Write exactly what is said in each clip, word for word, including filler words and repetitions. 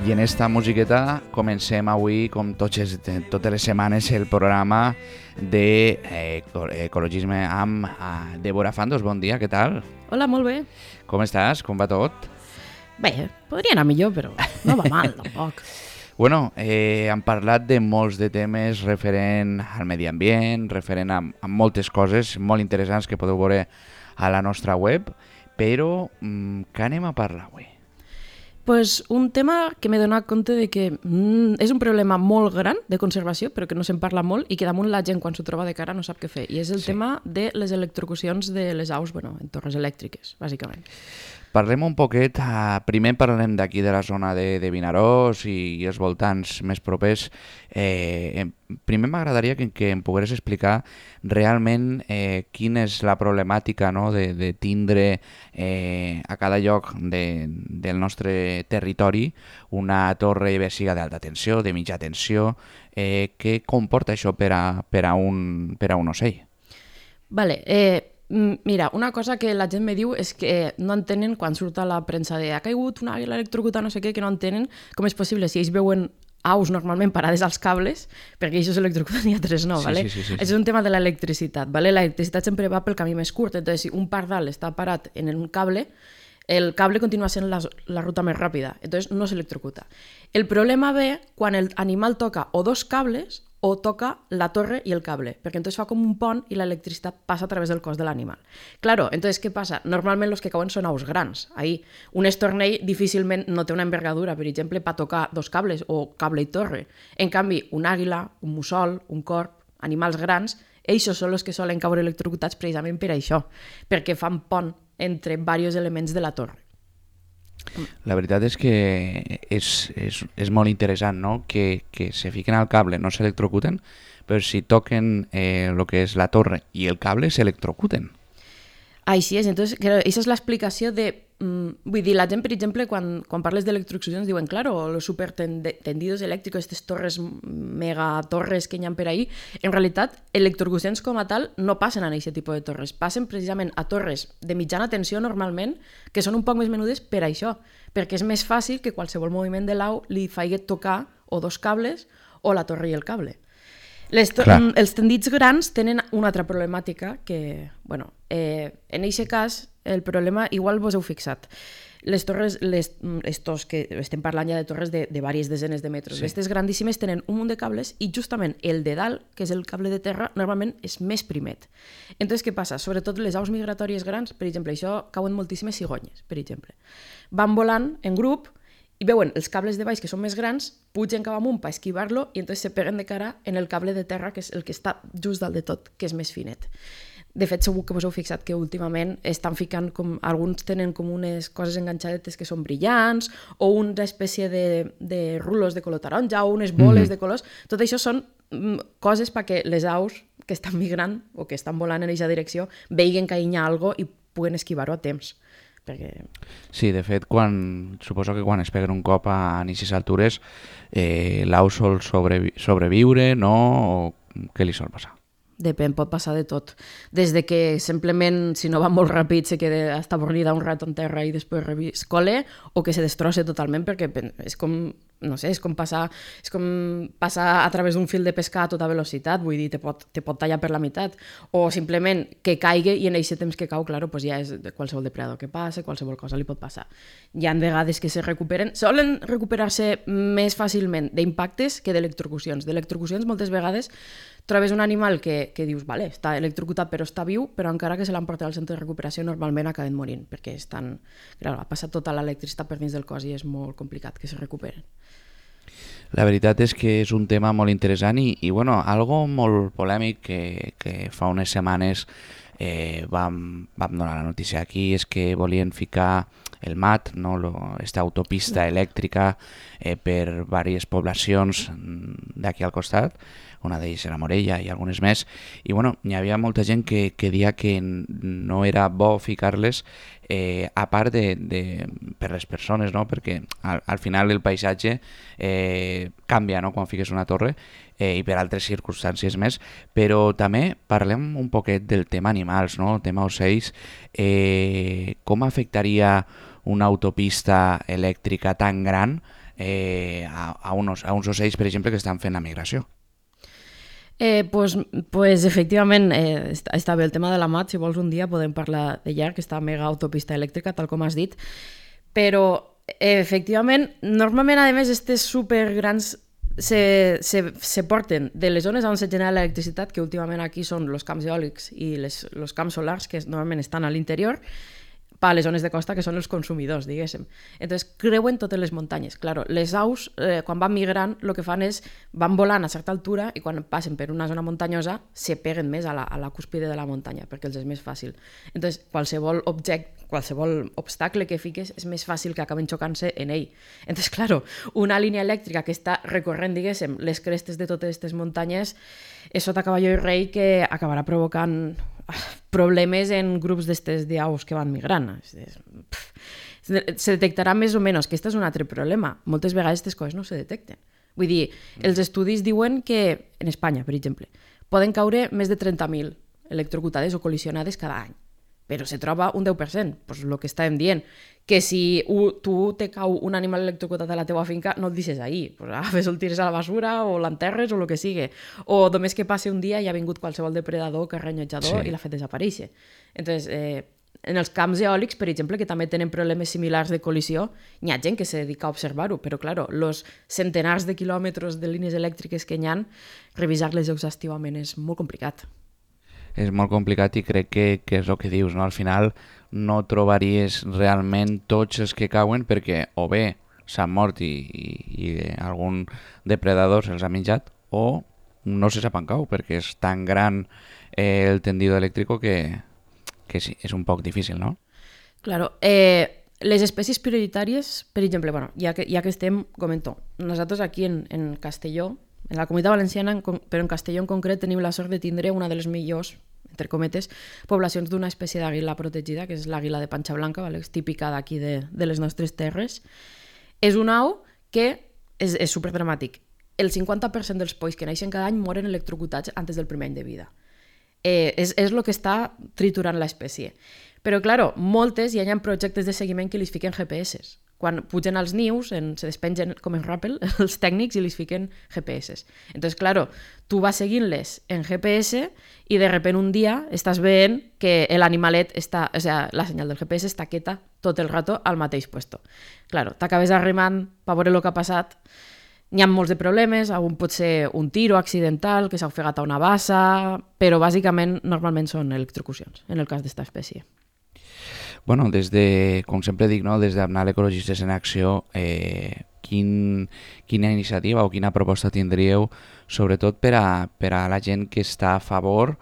I en esta musiqueta comencem avui, com totes, totes les setmanes, el programa d'ecologisme eh, amb eh, Débora Fandos. Bon dia, què tal? Hola, molt bé. Com estàs? Com va tot? Bé, podria anar millor, però no va mal, tampoc. Bueno, eh, hem parlat de molts de temes referent al medi ambient, referent a, a moltes coses molt interessants que podeu veure a la nostra web, però mm, què anem a parlar avui? Pues un tema que m'he donat compte de que mm, és un problema molt gran de conservació, però que no se'n parla molt i que damunt la gent quan s'ho troba de cara no sap què fer. I és el sí. tema de les electrocucions de les aus, bueno, en torres elèctriques, bàsicament. Parlem un poquet, uh, primer parlem d'aquí de la zona de, de Vinaròs i, i els voltants més propers. Eh, primer m'agradaria que, que em pogués explicar realment eh, quina és la problemàtica, no, de, de tindre eh, a cada lloc de, del nostre territori una torre, bé siga d'alta tensió, de mitja tensió. Eh, què comporta això per a, per a, un, per a un ocell? Vale, eh... Mira, una cosa que la gent me diu és que no entenen quan surt a la premsa de ha caigut una àguila electrocutada, no sé què, que no entenen com és possible si ells veuen aus normalment parades als cables, perquè ells s'electrocuten i altres no, sí, ¿vale? Sí, sí, sí, sí. És un tema de l'electricitat, ¿vale? L'electricitat sempre va pel camí més curt, entonces si un pardal està parat en un cable, el cable continua sent la, la ruta més ràpida, entonces no s'electrocuta. El problema ve quan l'animal toca o dos cables o toca la torre i el cable, perquè entonces fa com un pont i l'electricitat passa a través del cos de l'animal. Claro, entonces què passa? Normalment els que cauen són aus grans. Ahí, un estornell difícilment no té una envergadura, per exemple, per tocar dos cables o cable i torre. En canvi, un àguila, un mussol, un corb, animals grans, ells són els que solen caure electrocutats precisament per això, perquè fan pont entre diversos elements de la torre. La veritat és que és, és, és molt interessant, no? que, que se fiquen al cable, no s'electrocuten, però si toquen eh, lo que és la torre i el cable s'electrocuten. Així és, entonces, claro, aquesta és l'explicació de... Mm, vull dir, la gent, per exemple, quan, quan parles d'electrocucions diuen, claro, los supertendidos elèctricos, aquestes torres, megatorres que hi ha per ahí, en realitat, electrocucions com a tal no passen a aquest tipus de torres, passen precisament a torres de mitjana tensió normalment, que són un poc més menudes per això, perquè és més fàcil que qualsevol moviment de l'au li faci tocar o dos cables o la torre i el cable. Les to- els tendits grans tenen una altra problemàtica que, bueno, eh, en aquest cas el problema igual vos heu fixat. Les torres, les, estos que estem parlant ja de torres de, de diverses desenes de metres, sí. Aquestes grandíssimes tenen un munt de cables i justament el de dalt, que és el cable de terra, normalment és més primet. Entonces, què passa? Sobretot les aus migratòries grans, per exemple, això cauen moltíssimes cigonyes, per exemple. Van volant en grup i veuen els cables de baix que són més grans, pugen cap amunt per esquivar-lo i entonces se peguen de cara en el cable de terra, que és el que està just dalt de tot, que és més finet. De fet, segur que vos heu fixat que últimament estan ficant com... Alguns tenen com unes coses enganxadetes que són brillants o una espècie de, de rulos de color taronja o unes boles mm-hmm. de colors. Tot això són mm, coses perquè les aus que estan migrant o que estan volant en aquesta direcció veiguen que hi ha alguna cosa i puguen esquivar-ho a temps. Perquè... Sí, de fet, quan, suposo que quan es peguen un cop a aquestes altures, eh, l'au sol sobrevi- sobreviure, no? O què li sol passar? Depèn, pot passar de tot. Des de que simplement, si no va molt ràpid, se queda hasta avorrida un rato en terra i després reviscole, o que se destrosse totalment, perquè és com, no sé, és com passar, és com passar a través d'un fil de pescar a tota velocitat, vull dir, te pot, te pot tallar per la meitat, o simplement que caigui i en aquest temps que cau, claro, pues ja és qualsevol depredador que passa, qualsevol cosa li pot passar. Hi ha vegades que se recuperen, solen recuperar-se més fàcilment d'impactes que d'electrocucions. D'electrocucions moltes vegades trobes un animal que, que dius, vale, està electrocutat però està viu, però encara que se l'han portat al centre de recuperació normalment acaben morint, perquè estan, clar, ha passat tota l'electricitat per dins del cos i és molt complicat que se recuperen. La veritat és que és un tema molt interessant i, i bueno, algo molt polèmic que, que fa unes setmanes eh, vam, vam donar la notícia aquí, és que volien ficar el M A T, no? Lo, esta autopista elèctrica eh, per diverses poblacions d'aquí al costat, una d'ells era Morella i algunes més, i bueno, hi havia molta gent que, que deia que no era bo ficar-les eh, a part de, de, per les persones, no? Perquè al, al final el paisatge eh, canvia, no? Quan fiques una torre eh, i per altres circumstàncies més, però també parlem un poquet del tema animals, no? El tema ocells, eh, com afectaria una autopista elèctrica tan gran eh, a, a, unos, a uns ocells, per exemple, que estan fent la migració. Eh, pues, pues efectivament eh, està, està bé el tema de la mat, si vols un dia podem parlar de llarg, que està mega autopista elèctrica, tal com has dit, però eh, efectivament, normalment a més aquestes supergrans se, se, se porten de les zones on se genera l'electricitat, que últimament aquí són els camps eòlics i els camps solars, que normalment estan a l'interior, per a les zones de costa, que són els consumidors, diguéssim. Entonces, creuen totes les muntanyes. Claro, les aus, eh, quan van migrant, el que fan és, van volant a certa altura i quan passen per una zona muntanyosa, se peguen més a la, a la cúspide de la muntanya, perquè els és més fàcil. Entonces, qualsevol objecte, qualsevol obstacle que fiques, és més fàcil que acaben xocant-se en ell. Entonces, claro, una línia elèctrica que està recorrent, diguéssim, les crestes de totes aquestes muntanyes, és sota cavalló i rei que acabarà provocant problemes en grups d'estes d'aus que van migrant. Se detectarà més o menys, que aquest és un altre problema. Moltes vegades aquestes coses no se detecten. Vull dir, els estudis diuen que, en Espanya, per exemple, poden caure més de trenta mil electrocutades o col·lisionades cada any, però se troba un deu per cent, pues el que estàvem dient, que si tu te cau un animal electrocutat a la teua finca, no el deixes ahí, pues agafes el tires a la basura o l'enterres o el que sigui, o només que passi un dia i ha vingut qualsevol depredador, carranyotjador, sí, i l'ha fet desaparèixer. Entonces, eh, en els camps eòlics, per exemple, que també tenen problemes similars de col·lisió, hi ha gent que se dedica a observar-ho, però, claro, els centenars de quilòmetres de línies elèctriques que hi ha, revisar-les exhaustivament és molt complicat. És molt complicat i crec que, que és el que dius, no? Al final no trobaries realment tots els que cauen perquè o bé s'han mort i, i, i algun depredador se'ls ha menjat o no se sap on cau perquè és tan gran eh, el tendido elèctric que, que sí, és un poc difícil, no? Claro, eh, les espècies prioritàries, per exemple, bueno, ja, que, ja que estem, comento, nosaltres aquí en, en Castelló, en la Comunitat Valenciana, però en Castelló en concret, tenim la sort de tindre una de les millors, entre cometes, poblacions d'una espècie d'àguila protegida, que és l'àguila de panxa blanca, vale? És típica d'aquí de, de les nostres terres. És una au que és, és superdramàtic. El cinquanta per cent dels polls que naixen cada any moren electrocutats antes del primer any de vida. Eh, és, és el que està triturant l'espècie. Però, claro, moltes hi ha projectes de seguiment que li fiquen G P S. Quan pugen als nius, en, se despengen com en Rappel, els tècnics, i li fiquen G P S. Entonces, claro, tu vas seguint-les en G P S i de repente un dia estàs veient que l'animalet està, o sea, la senyal del G P S està quieta tot el rato al mateix puesto. Claro, t'acabes arrimant per veure el que ha passat. N'hi ha molts de problemes, un pot ser un tiro accidental, que s'ha ofegat a una bassa, però bàsicament normalment són electrocucions, en el cas d'esta espècie. Bueno, des de, com sempre dic, no, des d'Amnal Ecologistes en Acció, eh, quin, quina iniciativa o quina proposta tindríeu, sobretot per a, per a la gent que està a favor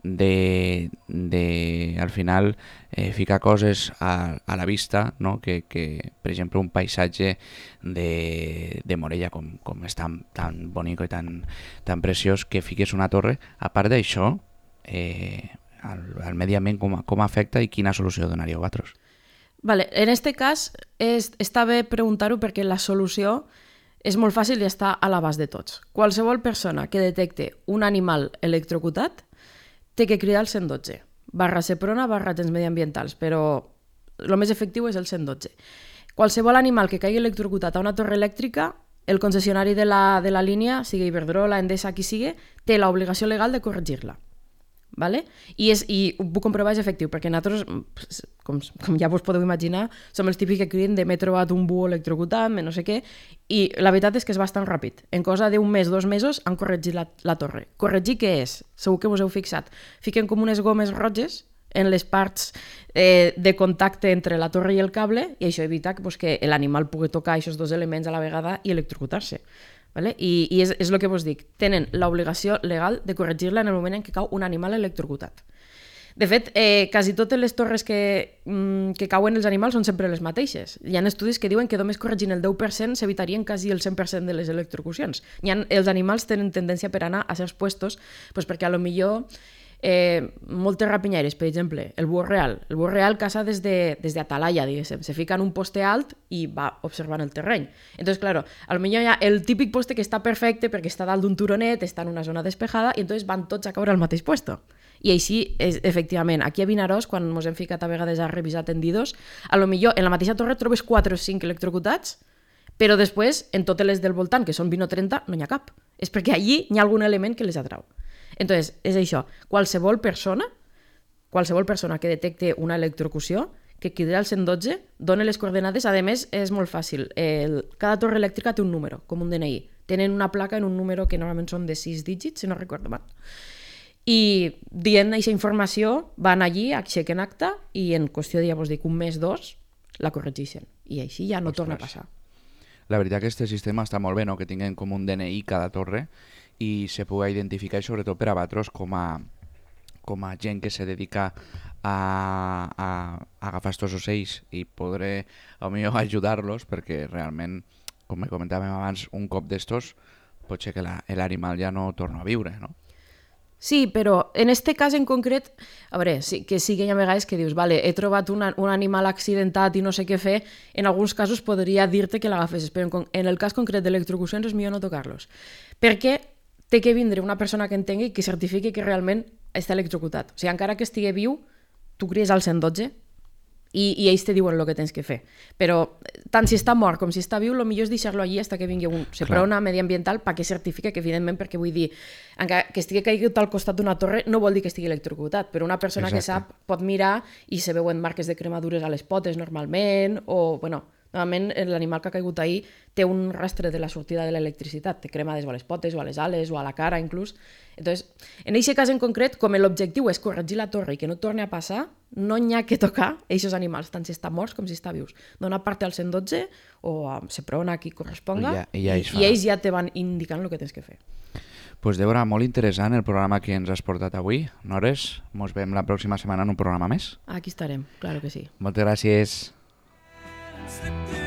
de, de al final, eh, ficar coses a, a la vista, no? que, que, per exemple, un paisatge de, de Morella, com, com és tan, tan bonic i tan, tan preciós, que fiques una torre. A part d'això, eh, al, al medi ambient com, com afecta i quina solució donaríeu vosaltres? Vale, en este cas és, està bé preguntar-ho perquè la solució és molt fàcil i està a l'abast de tots. Qualsevol persona que detecte un animal electrocutat té que cridar al cent dotze, barra Seprona, barra agents mediambientals, però el més efectiu és el cent dotze. Qualsevol animal que caigui electrocutat a una torre elèctrica, el concessionari de la, de la línia, sigui Iberdrola, Endesa, qui sigui, té l'obligació legal de corregir-la. Vale? I, és, I ho puc comprovar, és efectiu, perquè nosaltres, com, com ja vos podeu imaginar, som els típics que criden de m'he trobat un búho electrocutat, no sé què, i la veritat és que és bastant ràpid. En cosa d'un mes, dos mesos, han corregit la, la torre. Corregir què és? Segur que vos heu fixat. Fiquen com unes gomes roges en les parts eh, de contacte entre la torre i el cable, i això evita pues, que l'animal pugui tocar aquests dos elements a la vegada i electrocutar-se. Vale? I, i és, és el que vos dic, tenen l'obligació legal de corregir-la en el moment en què cau un animal electrocutat. De fet, eh, quasi totes les torres que, mm, que cauen els animals són sempre les mateixes. Hi ha estudis que diuen que només corregint el deu per cent s'evitarien quasi el cent per cent de les electrocucions. Hi ha, els animals tenen tendència per anar a certs puestos pues perquè a lo millor Eh, moltes rapinyaires, per exemple, el búho real. El búho real caça des de, des de atalaya, diguéssim. Se fica en un poste alt i va observant el terreny. Entonces, claro, a lo millor hi ha el típic poste que està perfecte perquè està dalt d'un turonet, està en una zona despejada i entonces van tots a caure al mateix puesto. I així, és, efectivament, aquí a Vinaròs, quan ens hem ficat a vegades a revisar tendidos, a lo millor en la mateixa torre trobes quatre o cinc electrocutats, Però després, en totes les del voltant, que són vint o trenta, no n'hi ha cap. És perquè allí hi ha algun element que les atrau. Entonces, és això. Qualsevol persona, qualsevol persona que detecte una electrocució, que cridi al cent dotze, dona les coordenades. A més, és molt fàcil. El, cada torre elèctrica té un número, com un D N I. Tenen una placa en un número que normalment són de sis dígits, si no recordo mal. I dient aquesta informació, van allí, aixequen acta i en qüestió de, ja vos dic, un mes, dos, la corregeixen. I així ja no Ostres. torna a passar. La veritat que aquest sistema està molt bé, no? Que tinguin com un D N I cada torre i se pugui identificar, i sobretot per a vosaltres com a, com a gent que se dedica a, a, a agafar estos ocells i podré potser ajudar-los, perquè realment, com comentàvem abans, un cop d'estos pot ser que l'animal ja no torna a viure, no? Sí, però en este cas en concret, a veure, sí, que sí que hi ha vegades que dius, vale, he trobat una, un animal accidentat i no sé què fer, en alguns casos podria dir-te que l'agafessis, però en, en el cas concret d'electrocucions és millor no tocar-los. Perquè té que vindre una persona que entengui i que certifiqui que realment està electrocutat. O sigui, encara que estigui viu, tu cries al cent dotze i, i ells te diuen el que tens que fer. Però tant si està mort com si està viu, el millor és deixar-lo allí fins que vingui un seprona mediambiental perquè certifique que, evidentment, perquè vull dir, encara que estigui caigut al costat d'una torre no vol dir que estigui electrocutat, però una persona Exacte. que sap pot mirar i se veuen marques de cremadures a les potes normalment, o, bueno, normalment l'animal que ha caigut ahir té un rastre de la sortida de l'electricitat, té cremades o a les potes o a les ales o a la cara inclús. Entonces, en aquest cas en concret, com l'objectiu és corregir la torre i que no torni a passar, no n'hi ha que tocar aquests animals, tant si estan morts com si estan vius. Dona part al cent dotze o a Seprona, qui corresponga, ja, ja i, i ells ja te van indicant el que tens que fer. Pues Débora, molt interessant el programa que ens has portat avui. Nores, ens veiem la pròxima setmana en un programa més. Aquí estarem, claro que sí. Moltes gràcies. Slip through